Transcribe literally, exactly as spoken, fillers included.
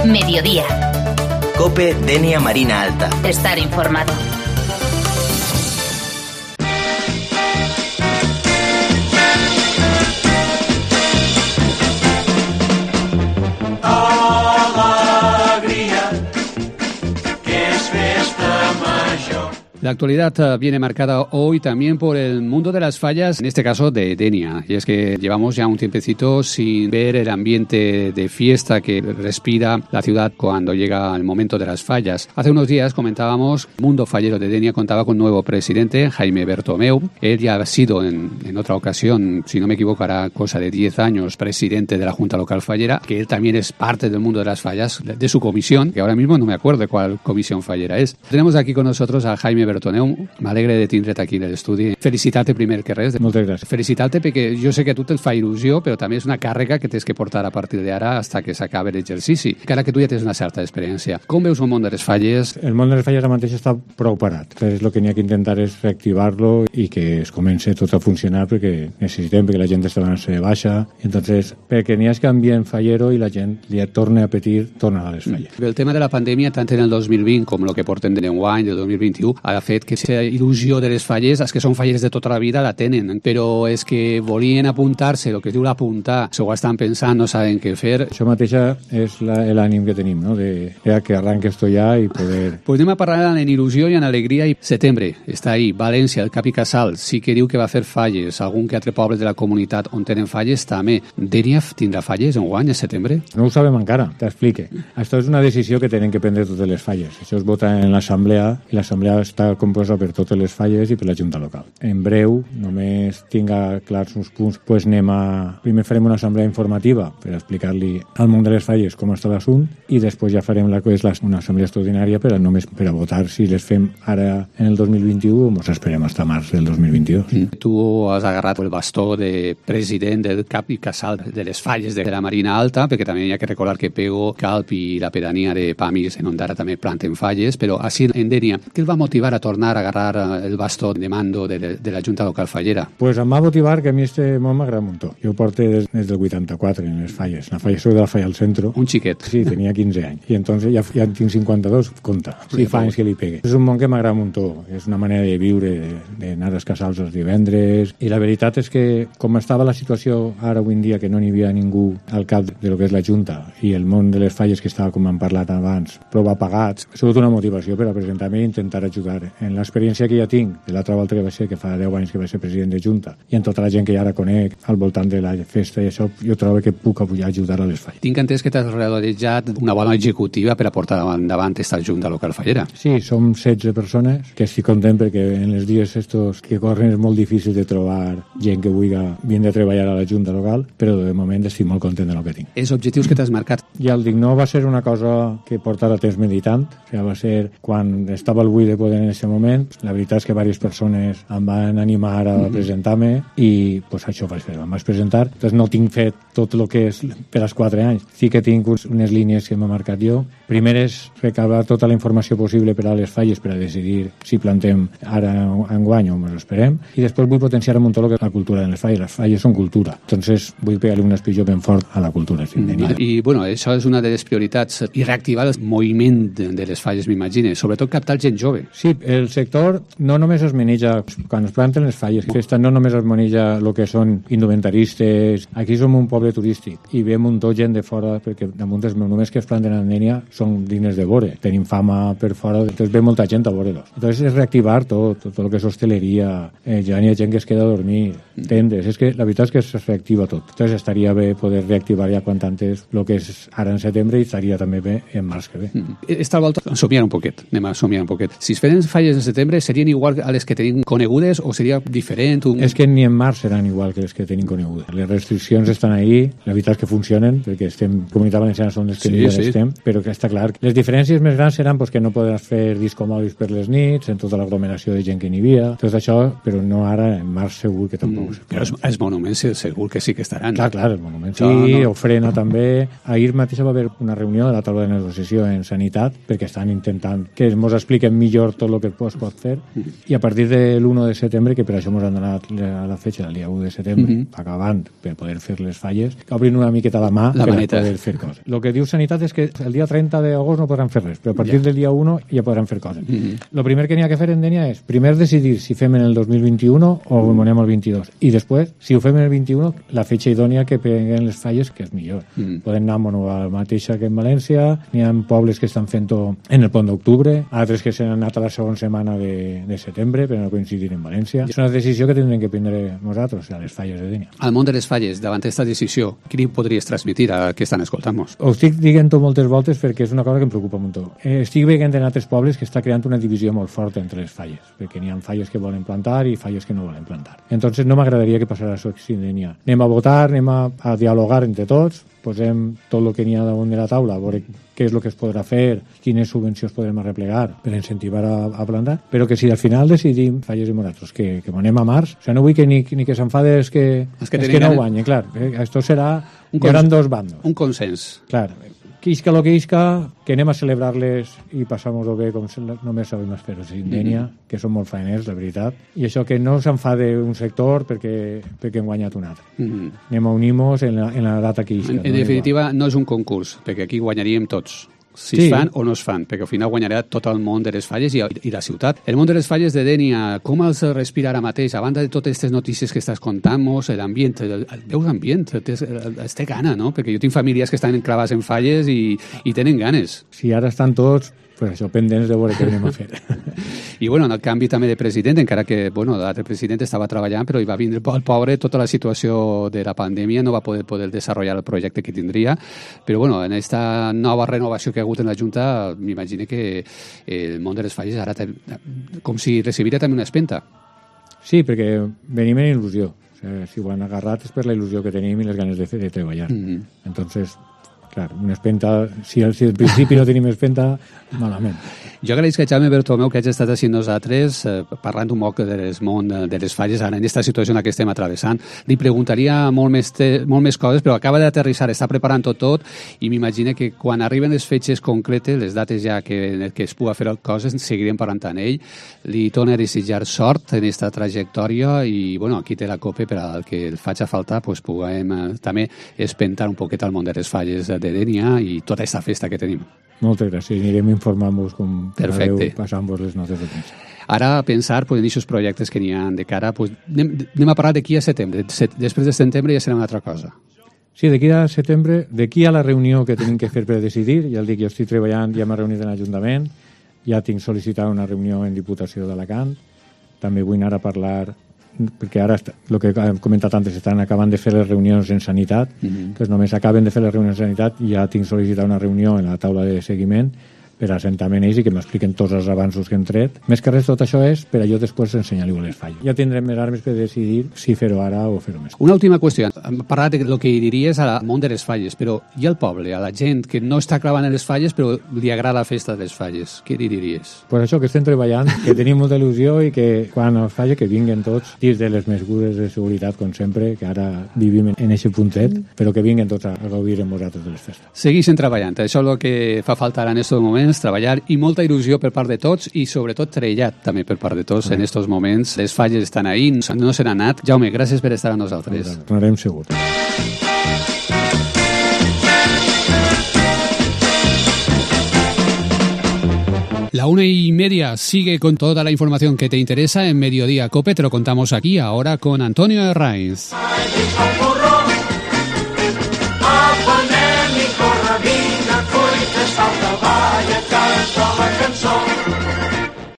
Mediodía. COPE Denia Marina Alta. Estar informado. La actualidad viene marcada hoy también por el mundo de las fallas, en este caso de Denia. Y es que llevamos ya un tiempecito sin ver el ambiente de fiesta que respira la ciudad cuando llega el momento de las fallas. Hace unos días comentábamos, el mundo fallero de Denia contaba con un nuevo presidente, Jaime Bertomeu. Él ya ha sido en, en otra ocasión, si no me equivoco, hará cosa de diez años, presidente de la Junta Local Fallera, que él también es parte del mundo de las fallas, de, de su comisión, que ahora mismo no me acuerdo de cuál comisión fallera es. Tenemos aquí con nosotros a Jaime Bertomeu. M'alegre de tindre't aquí en l'estudi. Felicitar-te primer que res. Moltes gràcies. Felicitar-te perquè jo sé que a tu te'l fa il·lusió, però també és una càrrega que tens que portar a partir d'ara fins que s'acabi l'exercici. Encara que tu ja tens una certa experiència. Com veus el món de les falles? El món de les falles ara mateix està prou parat. Entonces, el que n'hi ha que intentar és reactivar-lo i que es comence tot a funcionar perquè necessitem, perquè la gent està donant-se de baixa. Entonces, perquè n'hi ha que ambient fallero i la gent li torna a petir tornar a les falles. El tema de la pandèmia, tant en el dos mil vint com el que portem d'enguany, del dos mil vint-i-u, ha fet que aquesta il·lusió de les falles, els que són falles de tota la vida la tenen, però és que volien apuntar-se, el que es diu l'apuntar, s'ho estan pensant, no saben què fer. Això mateixa és l'ànim que tenim, no? de, de que arranque esto ja i poder... Pues anem a parlar en il·lusió i en alegria. I setembre està ahí, València, el Cap i Casal, sí que diu que va fer falles, algun que altre poble de la comunitat on tenen falles també. Denia tindrà falles en guany, a setembre? No ho sabem encara, t'explique. Això és una decisió que tenen que prendre totes les falles. Això es vota en l'assemblea i l'assemblea està composta per totes les falles i per la Junta Local. En breu, només tinga clars uns punts, pues anem a... Primer farem una assemblea informativa per explicar-li al món de les falles com està l'assumpte i després ja farem la que és la, una assemblea extraordinària per a només per a votar si les fem ara en el dos mil vint-i-u o ens esperem fins a març del dos mil vint-i-dos. Mm. Tu has agarrat el bastó de president del Cap i Casal de les falles de la Marina Alta, perquè també hi ha que recordar que Pego, Calp i la pedania de Pamis en Ondara també planten falles, però així en Denia, què el va motivar a tornar a agarrar el bastó de mando de, de, de la Junta Local Fallera? Pues em va motivar que a mi este món m'agrada un muntó. Jo porto des, des del vuitanta-quatre en les falles. La falla soy de la falla al centro. Un xiquet. Sí, tenia quinze anys. I entonces ja, ja tinc cinquanta-dos, compta. Sí, fa anys que li pegue. És un món que m'agrada un muntó. És una manera de viure, d'anar als casals els divendres. I la veritat és que, com estava la situació ara avui en dia, que no n'hi havia ningú al cap de lo que és la Junta i el món de les falles que estava, com hem parlat abans, prou apagats, ha sigut una motivació per a presentar-me i intentar ajudar. En l'experiència que ja tinc de l'altra volta que va ser, que fa deu anys que va ser president de Junta, i en tota la gent que ja ara conec al voltant de la festa i això, jo trobo que puc apoyar ajudar a les falles. Tinc entès que t'has rodejat una bona executiva per a portar endavant aquesta Junta Local Fallera. Sí, som setze persones, que estic content perquè en els dies estos que corren és molt difícil de trobar gent que vulgui vindre a treballar a la Junta Local, però de moment estic molt content de lo que tinc. Els objectius que t'has marcat? Ja el dic, no va ser una cosa que portara temps meditant, o sigui, va ser quan estava al buit de poder en aquest moment. La veritat és que diverses persones em van animar a presentar-me i pues, això vaig fer, em vaig presentar. Entonces no tinc fet tot el que és per als quatre anys. Sí que tinc unes línies que m'he marcat jo. Primer és recabar tota la informació possible per a les falles per a decidir si plantem ara enguany o ens esperem. I després vull potenciar un tot el que és la cultura de les falles. Les falles són cultura. Entonces vull pegar-li un espilló ben fort a la cultura. Sí, mm. I bueno, això és una de les prioritats i reactivar el moviment de les falles, m'imagine. Sobretot captar gent jove. Sí, el sector no només es maneja, quan es planten les falles, festa no només es maneja el que són indumentaristes. Aquí som un poble turístic i ve un muntó gent de fora, perquè damunt els només que es planten a Denia són dignes de veure. Tenim fama per fora, entonces ve molta gent a veure-los. Entonces és reactivar tot, tot, tot el que és hosteleria, eh, ja n'hi ha gent que es queda a dormir, tendes, és que la veritat és que es reactiva tot. Entonces estaria bé poder reactivar ja quan antes el que és ara en setembre i estaria també bé en març que ve. Mm. Esta volta somiar un poquet, anem a somiar un poquet. Si es feren falles en setembre, serien igual a les que tenim conegudes o seria diferent? Un... És que ni en març seran igual que les que tenim conegudes. Les restriccions estan ahí, la veritat és que funcionen, perquè estem, Comunitat Valenciana són les que sí, sí. estem, però que està clar. Les diferències més grans seran pues, que no podràs fer discomòbils per les nits, en tota l'aglomeració de gent que n'hi havia, tot això, però no ara, en març segur que tampoc. Mm. Però els, els monuments segur que sí que estaran. Clar, clar, els monuments sí, no, no. Ofrena també. Ahir ahir mateix va haver una reunió de la taula de negociació en Sanitat perquè estan intentant que ens expliquen millor tot el que es pot fer i a partir de l'u de setembre, que per això ens han donat la, la fetge del dia u de setembre, mm-hmm. acabant per poder fer les falles, que obrin una miqueta la mà la per maneta. poder fer coses. El que diu Sanitat és que el dia trenta d'agost no podran fer res, però a partir ja. del dia u ja podran fer coses. El mm-hmm. primer que n'hi ha que fer en Dènia és primer decidir si fem en el dos mil vint-i-u o ho anem al vint-i-dos. I després, si ho fem en el vint-i-u, la fetge idònia que peguen les falles, que és millor. Mm. Podem anar a la mateixa que en València, n'hi ha pobles que estan fent-ho en el pont d'octubre, altres que s'han anat a la segona setmana de, de setembre per no coincidir en València. És una decisió que tindrem que prendre nosaltres, a les falles de Dènia. Al món de les falles, davant d'aquesta decisió, què li podries transmitir a que estan escoltant-nos? Ho estic dient-ho moltes voltes perquè és una cosa que em preocupa molt. Eh, estic veient en altres pobles que està creant una divisió molt forta entre les falles, perquè n'hi ha falles que volen plantar i falles que no volen plantar. Entonces no m'agradaria que passara això a Dènia. Anem a votar, anem a, a dialogar entre tots, posem tot el que n'hi ha damunt de la taula, a veure què és el que es podrà fer, quines subvencions podrem arreplegar per incentivar a, a plantar, però que si al final decidim, falles i moratros, que, que anem a març, o sigui, no vull que ni, ni que s'enfade és que, és que, és que no guanyen, clar, eh, esto serà, hi haurà dos bandos. Un consens. Clar, que isca lo que isca, que anem a celebrar-les i passar-nos-ho bé com només sabem fer-ho en Dènia, mm-hmm. que són molt faeners, la veritat, i això que no s'enfade un sector perquè, perquè hem guanyat un altre. Mm-hmm. Anem a unir-nos en, la, en la data que isca. En, en no definitiva, igual. No és un concurs, perquè aquí guanyaríem tots. Si sí. es fan o no es fan, perquè al final guanyarà tot el món de les falles i, i la ciutat. El món de les falles de Dènia, com els respira ara mateix? A banda de totes aquestes notícies que estàs contant-nos, l'ambient, el, el, veus l'ambient, es té gana, no? Perquè jo tinc famílies que estan enclavades en falles i, i tenen ganes. Si ara estan tots, pues això, pendents de veure què anem a fer. I bueno, en el canvi també de president, encara que bueno, l'altre president estava treballant, però hi va vindre el pobre, tota la situació de la pandèmia, no va poder poder desenvolupar el projecte que tindria, però bueno, en aquesta nova renovació que ha hagut en la Junta, m'imagino que el món de les falles ara com si recibiria també una espenta. Sí, perquè venim en il·lusió. O sigui, si ho han agarrat és per la il·lusió que tenim i les ganes de, fer, de treballar. Mm-hmm. Entonces, clar, una espenta, si al, si al principi no tenim espenta, malament. Jo agraïsc a Jaume Bertomeu que hagi estat així nosaltres eh, parlant un poc del món de les falles ara en aquesta situació en la que estem atravessant. Li preguntaria molt més, te, molt més coses, però acaba d'aterrissar, està preparant tot tot i m'imagino que quan arriben les fetges concretes, les dates ja que, que es pugui fer coses, seguirem parlant amb ell. Li torno a desitjar sort en aquesta trajectòria i bueno, aquí té la copa per al que el faci faltar, pues, puguem eh, també espentar un poquet al món de les falles de Dènia i tota aquesta festa que tenim. Moltes gràcies. Anirem informant-vos com podeu passant-vos les notes de premsa. Ara a pensar pues, en aquests projectes que n'hi ha de cara, pues, anem, anem a parlar d'aquí a setembre. Després de setembre ja serà una altra cosa. Sí, d'aquí a setembre, d'aquí a la reunió que tenim que fer per decidir, ja el dic, jo estic treballant, ja m'he reunit en l'Ajuntament, ja tinc sol·licitat una reunió en Diputació d'Alacant, també vull anar a parlar perquè ara, el que hem comentat antes, estan acabant de fer les reunions en Sanitat, mm-hmm. que només acaben de fer les reunions en Sanitat i ja tinc sol·licitat una reunió en la taula de seguiment per assentar-me ells i que m'expliquen tots els avanços que hem tret. Més que res, tot això és per a jo després ensenyar-li les falles. Ja tindrem més armes per decidir si fer-ho ara o fer-ho més. Una última qüestió. Hem parlat del que diries al món de les falles, però i al poble, a la gent que no està clavant en les falles però li agrada la festa de les falles, què li diries? Pues això, que estem treballant, que tenim molta il·lusió i que quan es faci que vinguen tots dins de les mesures de seguretat, com sempre, que ara vivim en aquest puntet, però que vinguen tots a gaudir amb vosaltres de les festes. Segueixen treballant. Això és el que fa falta ara en aquests moments, treballar i molta il·lusió per part de tots i sobretot trellat també per part de tots en aquests moments. Les falles estan ahí, no se n'han anat. Jaume, gràcies per estar amb nosaltres. Tornarem segur. La una y media sigue con toda la información que te interesa en Mediodía Cope. Te lo contamos aquí ahora con Antonio Herraiz. A poner mi corrabina, coi que salta